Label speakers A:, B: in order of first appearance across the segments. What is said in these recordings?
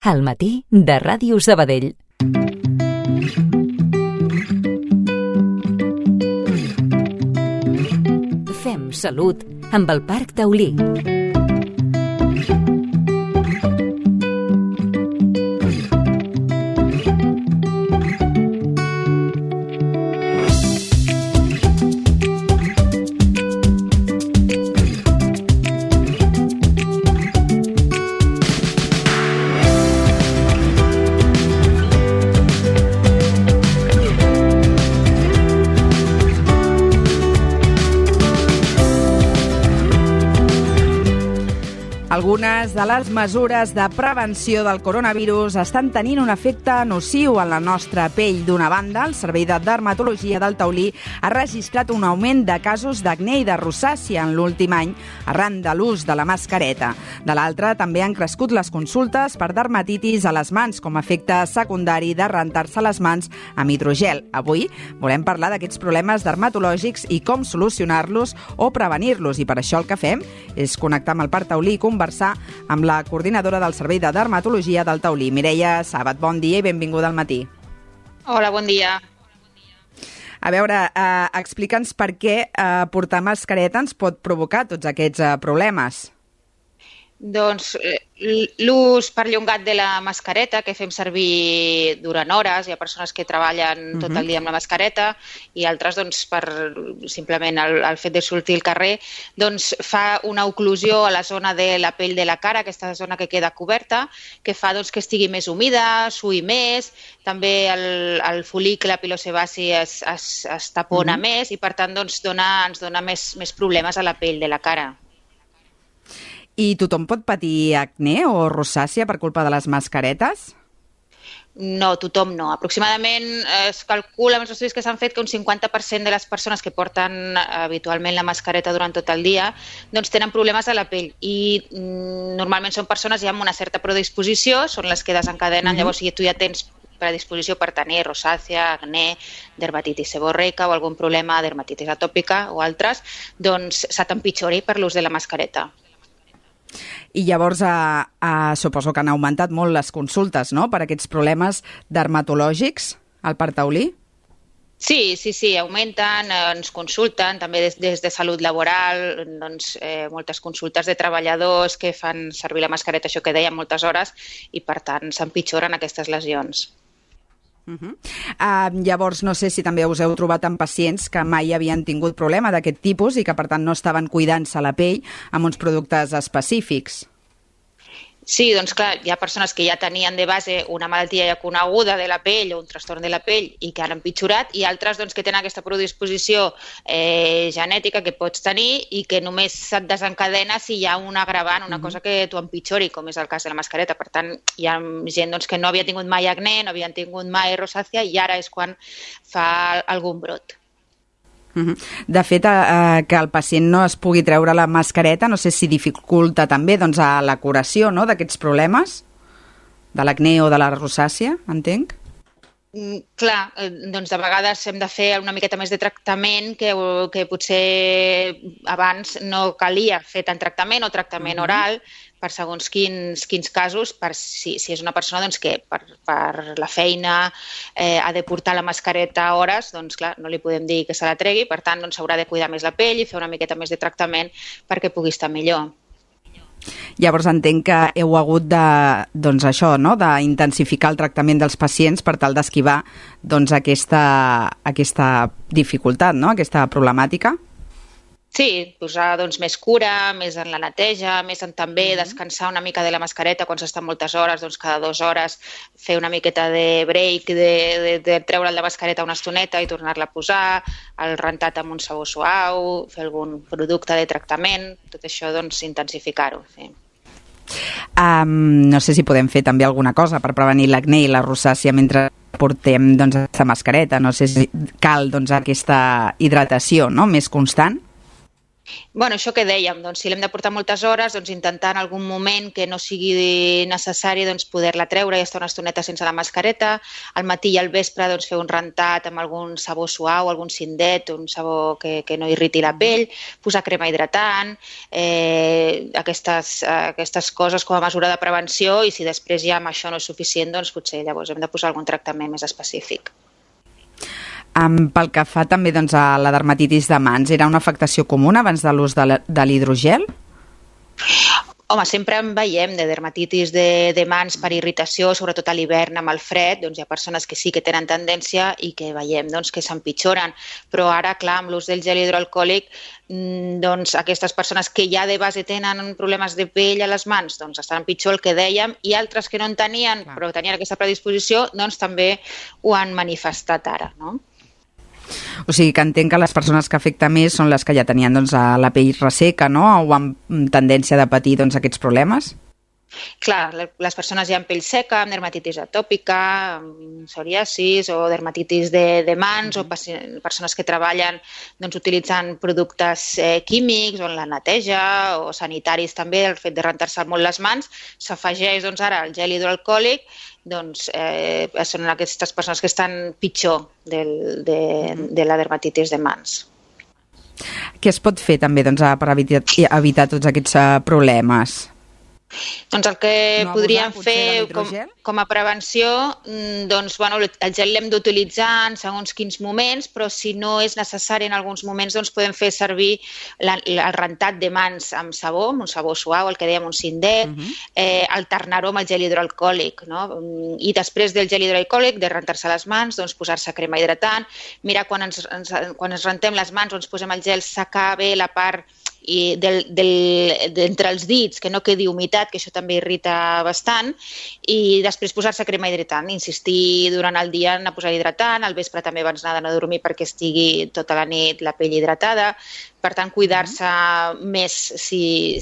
A: Al matí de Ràdio Sabadell. Fem salut amb el Parc Taulí.
B: Algunes de les mesures de prevenció del coronavirus estan tenint un efecte nociu en la nostra pell. D'una banda, el Servei de Dermatologia del Taulí ha registrat un augment de casos d'acné i de rosàcia en l'últim any arran de l'ús de la mascareta. De l'altra, també han crescut les consultes per dermatitis a les mans com a efecte secundari de rentar-se les mans amb hidrogel. Avui volem parlar d'aquests problemes dermatològics i com solucionar-los o prevenir-los. I per això el que fem és connectar amb el Parc Taulí i conversar amb la coordinadora del Servei de Dermatologia del Taulí, Mireia Sàbat. Bon dia i benvinguda al matí.
C: Hola, bon dia.
B: A veure, explica'ns per què portar mascareta ens pot provocar tots aquests problemes.
C: Doncs l'ús perllongat de la mascareta, que fem servir durant hores, hi ha persones que treballen tot el dia amb la mascareta i altres doncs, per simplement el fet de sortir al carrer, doncs, fa una oclusió a la zona de la pell de la cara, aquesta zona que queda coberta, que fa doncs, que estigui més humida, suï més, també el fol·licle pilosebaci es tapona més i per tant doncs, ens dona més problemes a la pell de la cara.
B: I tothom pot patir acné o rosàcia per culpa de les mascaretes?
C: No, tothom no. Aproximadament es calcula amb els estudis que s'han fet que un 50% de les persones que porten habitualment la mascareta durant tot el dia doncs tenen problemes a la pell i normalment són persones ja amb una certa predisposició, són les que desencadenen, llavors si tu ja tens predisposició per tenir rosàcia, acné, dermatitis seborreica o algun problema, dermatitis atòpica o altres, doncs se t'empitjori per l'ús de la mascareta.
B: I llavors suposo que han augmentat molt les consultes, no?, per aquests problemes dermatològics al Parc Taulí?
C: Sí, augmenten, ens consulten, també des de salut laboral, doncs, moltes consultes de treballadors que fan servir la mascareta, això que dèiem, moltes hores, i per tant s'empitjoren aquestes lesions.
B: Llavors, no sé si també us heu trobat amb pacients que mai havien tingut problema d'aquest tipus i que, per tant, no estaven cuidant-se la pell amb uns productes específics.
C: Sí, doncs clar, hi ha persones que ja tenien de base una malaltia ja coneguda de la pell o un trastorn de la pell i que han empitjorat i altres doncs, que tenen aquesta predisposició genètica que pots tenir i que només se't desencadena si hi ha un agravant, una cosa que t'ho empitjori, com és el cas de la mascareta. Per tant, hi ha gent doncs, que no havia tingut mai acné, no havien tingut mai rosàcia i ara és quan fa algun brot.
B: De fet, que el pacient no es pugui treure la mascareta, no sé si dificulta també doncs, la curació, no?, d'aquests problemes, de l'acné o de la rosàcia, entenc?
C: Clar, doncs de vegades hem de fer una miqueta més de tractament que potser abans no calia fer tant tractament o tractament oral per segons quins casos, per si és una persona doncs, que per la feina ha de portar la mascareta hores, doncs clar, no li podem dir que se la tregui, per tant doncs, haurà de cuidar més la pell i fer una miqueta més de tractament perquè pugui estar millor.
B: Llavors entenc que heu hagut d'intensificar el tractament dels pacients per tal d'esquivar doncs, aquesta dificultat, no?, aquesta problemàtica.
C: Sí, posar doncs, més cura, més en la neteja, més en també descansar una mica de la mascareta quan s'està moltes hores, doncs cada 2 hores fer una miqueta de break, de treure'l de mascareta una estoneta i tornar-la a posar, el rentat amb un sabó suau, fer algun producte de tractament, tot això doncs intensificar-ho. Sí.
B: No sé si podem fer també alguna cosa per prevenir l'acné i la rosàcia mentre portem doncs, aquesta mascareta, no sé si cal doncs, aquesta hidratació, no?, més constant.
C: Bueno, això que dèiem, doncs, si l'hem de portar moltes hores, doncs, intentar en algun moment que no sigui necessari doncs, poder-la treure i estar una estoneta sense la mascareta. Al matí i al vespre doncs, fer un rentat amb algun sabó suau, algun cindet, un sabó que no irriti la pell, posar crema hidratant, aquestes coses com a mesura de prevenció, i si després ja amb això no és suficient, doncs potser llavors hem de posar algun tractament més específic.
B: Pel que fa també doncs, a la dermatitis de mans, era una afectació comuna abans de l'ús de l'hidrogel?
C: Home, sempre en veiem de dermatitis de mans per irritació, sobretot a l'hivern amb el fred, doncs hi ha persones que sí que tenen tendència i que veiem doncs, que s'empitjoren, però ara, clar, amb l'ús del gel hidroalcohòlic, doncs aquestes persones que ja de base tenen problemes de pell a les mans, doncs estan pitjor, el que dèiem, i altres que no en tenien, però tenien aquesta predisposició, doncs també ho han manifestat ara, no?
B: O sigui que entenc que les persones que afecta més són les que ja tenien doncs, la pell resseca, no? O amb tendència de patir doncs, aquests problemes?
C: Clar, les persones ja amb pell seca, amb dermatitis atòpica, amb psoriasis o dermatitis de mans, o persones que treballen doncs, utilitzant productes químics o en la neteja o sanitaris també, el fet de rentar-se molt les mans, s'afegeix doncs, ara el gel hidroalcohòlic, doncs són aquestes persones que estan pitjor de la dermatitis de mans.
B: Què es pot fer també doncs, per evitar tots aquests problemes?
C: Doncs el que podríem fer com a prevenció, doncs, bueno, el gel l'hem d'utilitzar en segons quins moments, però si no és necessari en alguns moments, doncs podem fer servir el rentat de mans amb sabó, amb un sabó suau, el que dèiem un cindet, alternar-ho amb el gel hidroalcohòlic, no? I després del gel hidroalcohòlic, de rentar-se les mans, doncs posar-se crema hidratant, mirar quan ens rentem les mans o ens posem el gel, secar bé la part d'entre els dits, que no quedi humitat, que això també irrita bastant, i després posar-se crema hidratant, insistir durant el dia en posar hidratant, al vespre també abans d'anar a dormir perquè estigui tota la nit la pell hidratada. Per tant, cuidar-se més si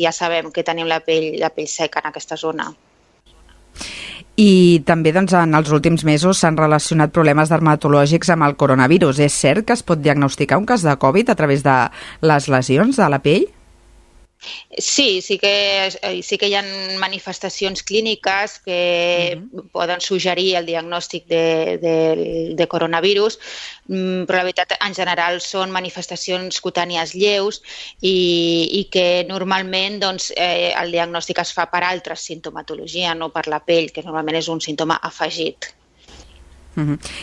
C: ja sabem que tenim la pell seca en aquesta zona.
B: I també doncs, en els últims mesos s'han relacionat problemes dermatològics amb el coronavirus. És cert que es pot diagnosticar un cas de Covid a través de les lesions de la pell?
C: Sí que hi ha manifestacions clíniques que poden suggerir el diagnòstic de coronavirus, però la veritat en general són manifestacions cutànies lleus i que normalment doncs, el diagnòstic es fa per altres sintomatologia, no per la pell, que normalment és un símptoma afegit.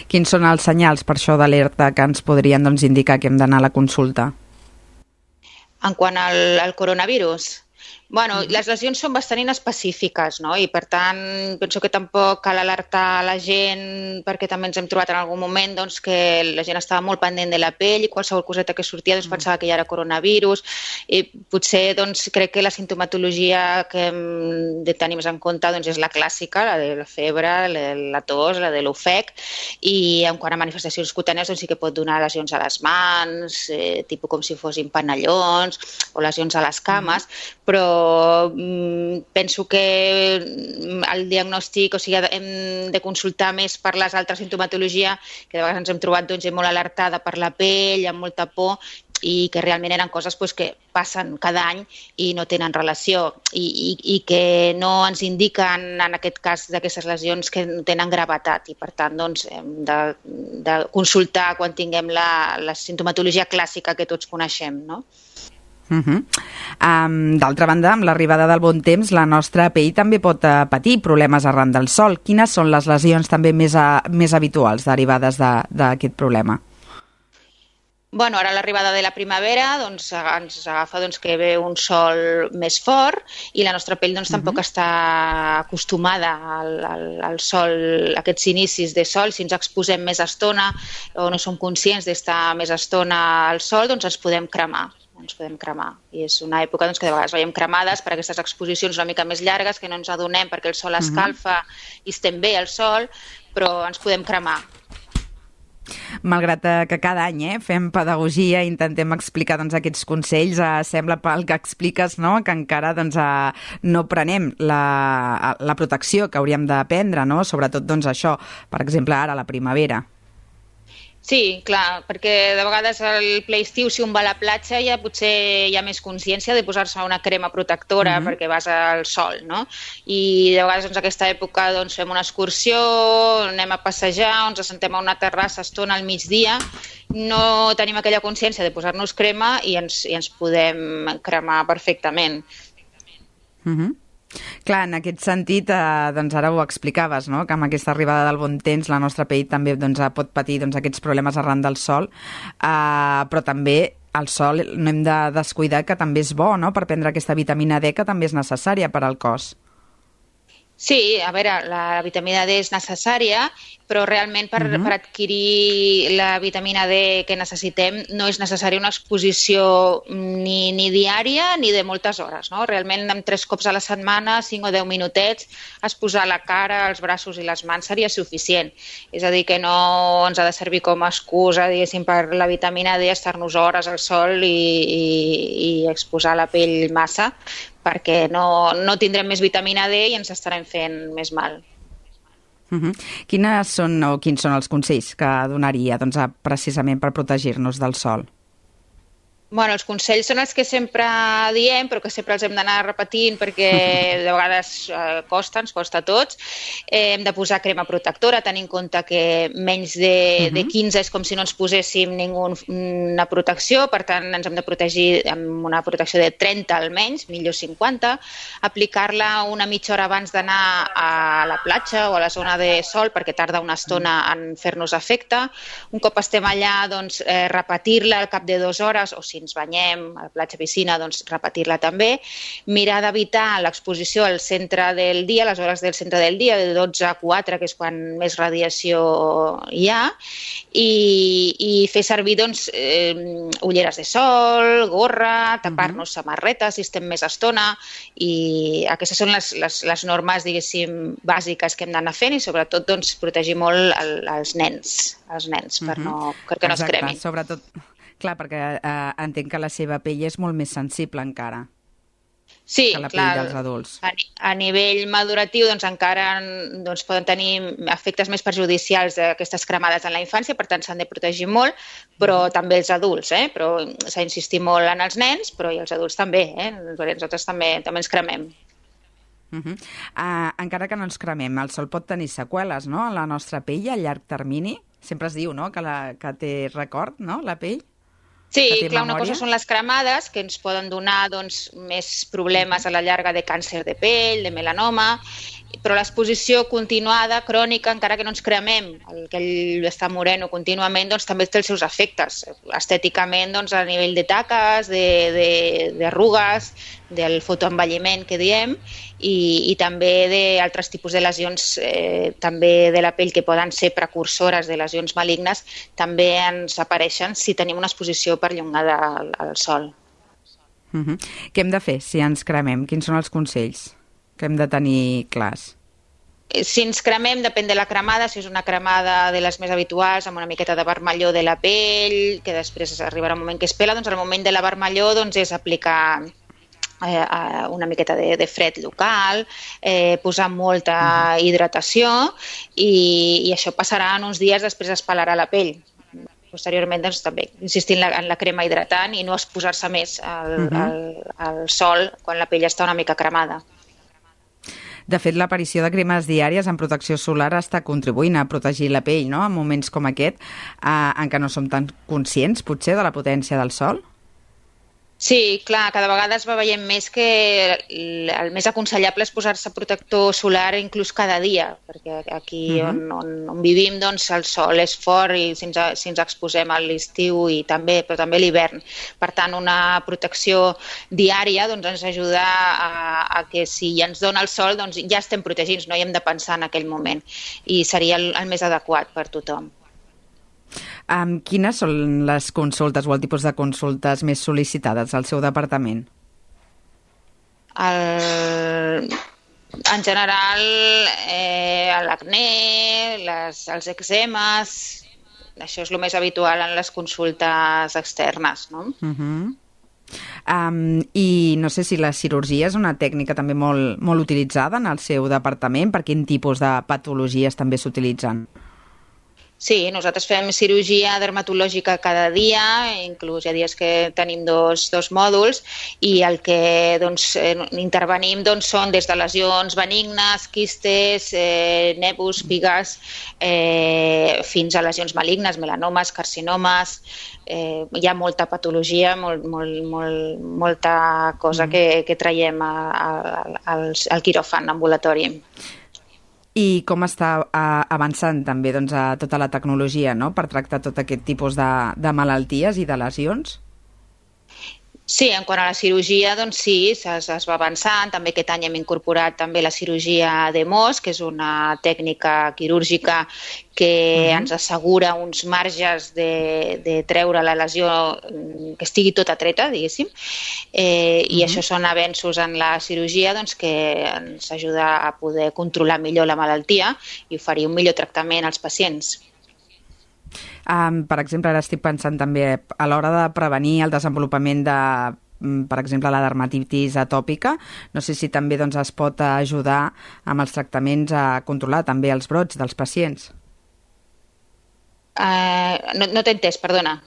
B: Quins són els senyals per això d'alerta que ens podrien doncs, indicar que hem d'anar a la consulta?
C: En quant al coronavirus, bueno, les lesions són bastant inespecífiques, no? I per tant penso que tampoc cal alertar la gent, perquè també ens hem trobat en algun moment doncs, que la gent estava molt pendent de la pell i qualsevol coseta que sortia doncs, pensava que ja era coronavirus, i potser doncs, crec que la sintomatologia que hem de tenir més en compte doncs, és la clàssica, la de la febre, la tos, la de l'ofec, i en quant a manifestacions cutànies doncs, sí que pot donar lesions a les mans, tipus com si fossin panellons o lesions a les cames, però penso que el diagnòstic, o sigui, hem de consultar més per les altres sintomatologia, que de vegades ens hem trobat doncs, molt alertada per la pell, amb molta por, i que realment eren coses doncs, que passen cada any i no tenen relació i que no ens indiquen en aquest cas d'aquestes lesions que no tenen gravetat i per tant doncs, hem de consultar quan tinguem la sintomatologia clàssica que tots coneixem, no?
B: D'altra banda, amb l'arribada del bon temps, la nostra pell també pot patir problemes arran del sol. Quines són les lesions també més habituals derivades d'aquest problema?
C: Bueno, ara a l'arribada de la primavera doncs, ens agafa doncs, que ve un sol més fort i la nostra pell doncs, tampoc està acostumada al sol, a aquests inicis de sol. Si ens exposem més estona o no som conscients d'estar més estona al sol, doncs ens podem cremar. I és una època doncs, que de vegades veiem cremades per aquestes exposicions una mica més llargues que no ens adonem perquè el sol escalfa i estem bé al sol, però ens podem cremar.
B: Malgrat que cada any fem pedagogia i intentem explicar doncs, aquests consells, sembla pel que expliques no? Que encara doncs, no prenem la protecció que hauríem de prendre, no? Sobretot doncs, això, per exemple, ara a la primavera.
C: Sí, clar, perquè de vegades al ple estiu, si un va a la platja, ja potser hi ha més consciència de posar-se una crema protectora perquè vas al sol, no? I de vegades aquesta època fem una excursió, anem a passejar, ens assentem a una terrassa estona al migdia, no tenim aquella consciència de posar-nos crema i ens podem cremar perfectament.
B: Clar, en aquest sentit, ara ho explicaves, no? Que amb aquesta arribada del bon temps la nostra pell també pot patir aquests problemes arran del sol, però també el sol no hem de descuidar que també és bo, no? Per prendre aquesta vitamina D que també és necessària per al cos.
C: Sí, a veure, la vitamina D és necessària, però realment per adquirir la vitamina D que necessitem no és necessària una exposició ni diària ni de moltes hores, no? Realment amb 3 cops a la setmana, 5 o 10 minutets, exposar la cara, els braços i les mans seria suficient. És a dir, que no ens ha de servir com a excusa, diguéssim, per la vitamina D estar-nos hores al sol i exposar la pell massa, perquè no tindrem més vitamina D i ens estarem fent més mal.
B: Quins són els consells que donaria precisament per protegir-nos del sol?
C: Bueno, els consells són els que sempre diem, però que sempre els hem d'anar repetint perquè de vegades ens costa a tots. Hem de posar crema protectora, tenint en compte que menys de 15 és com si no ens poséssim ninguna protecció, per tant ens hem de protegir amb una protecció de 30 almenys, millor 50, aplicar-la una mitja hora abans d'anar a la platja o a la zona de sol perquè tarda una estona en fer-nos efecte. Un cop estem allà, repetir-la al cap de 2 hores, o si ens banyem a la platja, piscina, repetir-la també. Mirar d'evitar l'exposició al centre del dia, a les hores del centre del dia, de 12 a 4, que és quan més radiació hi ha, i fer servir ulleres de sol, gorra, tapar-nos samarretes si estem més estona, i aquestes són les normes, diguéssim, bàsiques que hem d'anar fent, i sobretot protegir molt els nens perquè no es cremin.
B: Sobretot, clar, perquè entenc que la seva pell és molt més sensible encara.
C: Sí,
B: que la pell dels adults.
C: A nivell maduratiu encara poden tenir efectes més perjudicials d'aquestes cremades en la infància, per tant s'han de protegir molt, però també els adults, però s'ha d'insistir molt en els nens, però i els adults també, perquè nosaltres també ens cremem.
B: Encara que no ens cremem, el sol pot tenir seqüeles, no?, en la nostra pell a llarg termini. Sempre es diu, no?, que té record, no?, la pell.
C: Sí, clar, una cosa són les cremades, que ens poden donar més problemes a la llarga de càncer de pell, de melanoma, però l'exposició continuada, crònica, encara que no ens cremem, aquell estar moreno contínuament, també té els seus efectes. Estèticament, a nivell de taques, d'arrugues, del fotoenvelliment que diem, i també d'altres tipus de lesions també de la pell que poden ser precursores de lesions malignes, també ens apareixen si tenim una exposició perllongada al sol.
B: Què hem de fer si ens cremem? Quins són els consells que hem de tenir clars?
C: Si ens cremem, depèn de la cremada, si és una cremada de les més habituals, amb una miqueta de vermellor de la pell, que després arribarà un moment que es pela, al moment de la vermellor és aplicar una miqueta de fred local, posar molta hidratació, i això passarà en uns dies, després es pelarà la pell. Posteriorment, també insistir en la crema hidratant i no exposar-se més al sol quan la pell està una mica cremada.
B: De fet, l'aparició de cremes diàries en protecció solar està contribuint a protegir la pell, no?, en moments com aquest, en què no som tan conscients, potser, de la potència del sol?
C: Sí, clar, cada vegada es va veient més que el més aconsellable és posar-se protector solar inclús cada dia, perquè aquí on vivim el sol és fort i si ens exposem a l'estiu però també a l'hivern. Per tant, una protecció diària ens ajuda a que si ja ens dona el sol ja estem protegits, no hi hem de pensar en aquell moment, i seria el més adequat per tothom.
B: Quines són les consultes o el tipus de consultes més sol·licitades al seu departament?
C: En general, l'acné, els eczemes, això és el més habitual en les consultes externes, no?
B: I no sé si la cirurgia és una tècnica també molt utilitzada en el seu departament. Per quin tipus de patologies també s'utilitzen?
C: Sí, nosaltres fem cirurgia dermatològica cada dia, inclús hi ha dies que tenim dos mòduls, i el que intervenim són des de lesions benignes, quistes, nebus, pigues, fins a lesions malignes, melanomes, carcinomes. Hi ha molta patologia, molta cosa que traiem al quiròfan ambulatori.
B: I com està avançant també tota la tecnologia, no?, per tractar tot aquest tipus de malalties i de lesions?
C: Sí, en quant a la cirurgia, sí, es va avançant. També aquest any hem incorporat també la cirurgia de MOS, que és una tècnica quirúrgica que ens assegura uns marges de treure la lesió que estigui tota treta, diguéssim. I això són avenços en la cirurgia que ens ajuda a poder controlar millor la malaltia i oferir un millor tractament als pacients.
B: Per exemple, ara estic pensant també a l'hora de prevenir el desenvolupament de, per exemple, la dermatitis atòpica. No sé si també es pot ajudar amb els tractaments a controlar també els brots dels pacients.
C: No t'he entès, perdona.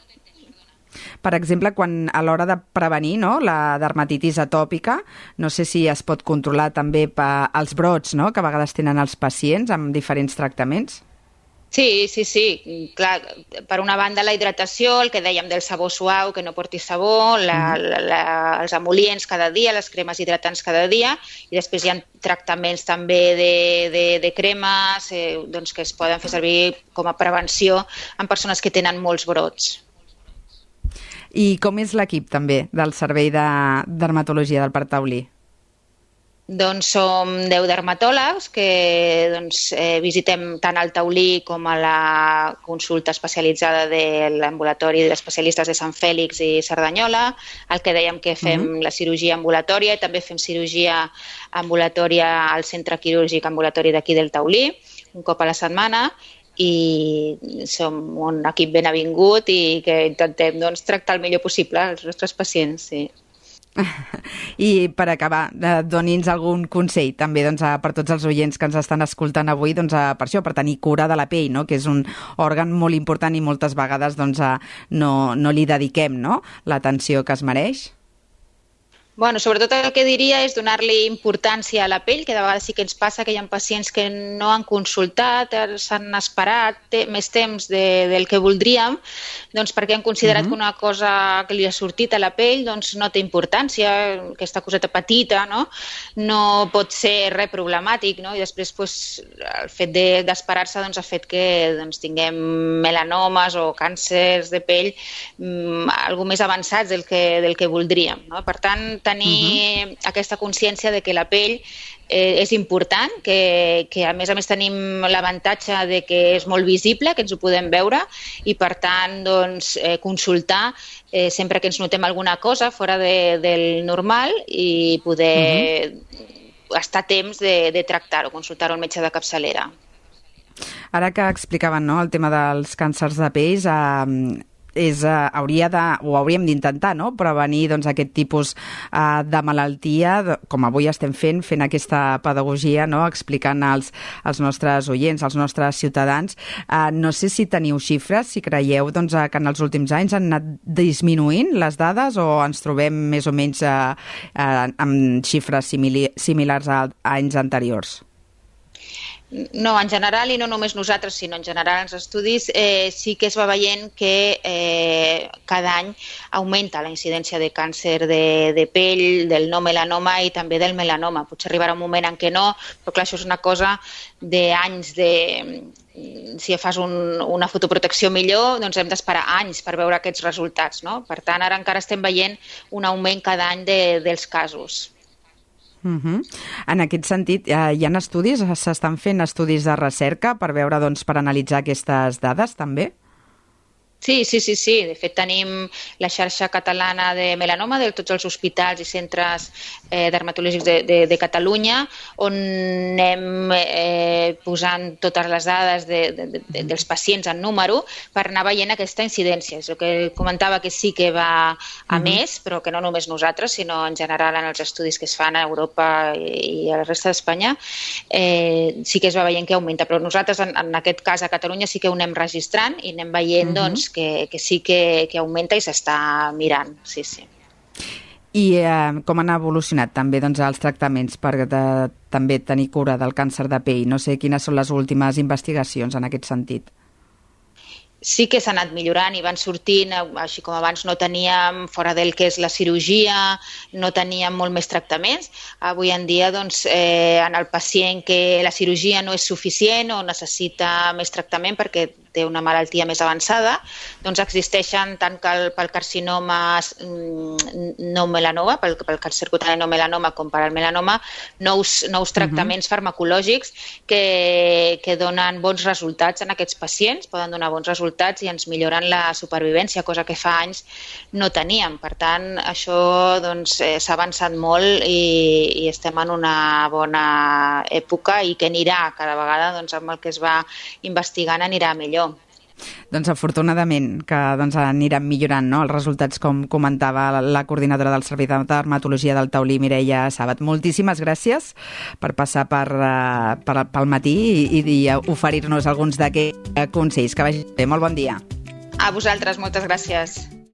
B: Per exemple, quan a l'hora de prevenir la dermatitis atòpica, no sé si es pot controlar també els brots que a vegades tenen els pacients amb diferents tractaments.
C: Sí. Clar, per una banda la hidratació, el que dèiem del sabó suau, que no porti sabó, els emol·lients cada dia, les cremes hidratants cada dia, i després hi ha tractaments també de cremes que es poden fer servir com a prevenció en persones que tenen molts brots.
B: I com és l'equip també del Servei de Dermatologia del Parc Taulí?
C: Som 10 dermatòlegs que visitem tant al Taulí com a la consulta especialitzada de l'ambulatori d'especialistes de Sant Fèlix i Cerdanyola, el que dèiem que fem la cirurgia ambulatòria i també fem cirurgia ambulatòria al centre quirúrgic ambulatori d'aquí del Taulí, un cop a la setmana, i som un equip ben avingut i que intentem tractar el millor possible els nostres pacients, sí.
B: I per acabar, doni'ns algun consell també per tots els oients que ens estan escoltant avui per això, per tenir cura de la pell, que és un òrgan molt important i moltes vegades no li dediquem l'atenció que es mereix.
C: Bueno, sobretot el que diria és donar-li importància a la pell, que de vegades sí que ens passa que hi ha pacients que no han consultat, s'han esperat més temps del que voldríem, perquè han considerat que una cosa que li ha sortit a la pell no té importància, aquesta coseta petita, no pot ser res problemàtic, i després el fet d'esperar-se ha fet que tinguem melanomes o càncers de pell algo més avançats del que voldríem. Per tant, tenir aquesta consciència de que la pell és important, que a més tenim l'avantatge de que és molt visible, que ens ho podem veure i per tant consultar sempre que ens notem alguna cosa fora del normal i poder estar a temps de tractar-ho, consultar-ho al metge de capçalera.
B: Ara que explicaven el tema dels càncers de pell, hauríem d'intentar prevenir aquest tipus de malaltia, com avui estem fent aquesta pedagogia, explicant als nostres oients, als nostres ciutadans. No sé si teniu xifres, si creieu que en els últims anys han anat disminuint les dades o ens trobem més o menys amb xifres similars a anys anteriors?
C: No, en general, i no només nosaltres, sinó en general els estudis, sí que es va veient que cada any augmenta la incidència de càncer de pell, del no melanoma i també del melanoma. Potser arribarà un moment en què no, però clar, això és una cosa d'anys si fas una fotoprotecció millor, hem d'esperar anys per veure aquests resultats, no? Per tant, ara encara estem veient un augment cada any dels casos.
B: En aquest sentit, hi ha estudis, s'estan fent estudis de recerca per veure, per analitzar aquestes dades també?
C: Sí. De fet, tenim la xarxa catalana de melanoma de tots els hospitals i centres dermatològics de Catalunya, on anem posant totes les dades dels pacients en número per anar veient aquesta incidència. És el que comentava, que sí que va a més, però que no només nosaltres, sinó en general en els estudis que es fan a Europa i a la resta d'Espanya, sí que es va veient que augmenta. Però nosaltres, en aquest cas, a Catalunya sí que ho anem registrant i anem veient doncs, que sí que augmenta i s'està mirant, sí.
B: I com han evolucionat també doncs, els tractaments per també tenir cura del càncer de pell? No sé quines són les últimes investigacions en aquest sentit.
C: Sí que s'ha anat millorant i van sortint, així com abans no teníem fora del que és la cirurgia, no teníem molt més tractaments. Avui en dia, doncs, en el pacient que la cirurgia no és suficient o necessita més tractament perquè té una malaltia més avançada, doncs existeixen tant pel carcinoma no melanoma, pel càncer cutani no melanoma com per al melanoma, nous tractaments farmacològics que donen bons resultats en aquests pacients, poden donar bons resultats i ens milloren la supervivència, cosa que fa anys no teníem. Per tant, això doncs, s'ha avançat molt i estem en una bona època i que anirà cada vegada, doncs, amb el que es va investigant anirà millor.
B: Doncs afortunadament que aniran millorant, no?, els resultats, com comentava la coordinadora del Servei de Dermatologia del Taulí, Mireia Sàbat. Moltíssimes gràcies per passar pel matí i oferir-nos alguns d'aquests consells. Que vagi bé. Molt bon dia.
C: A vosaltres, moltes gràcies.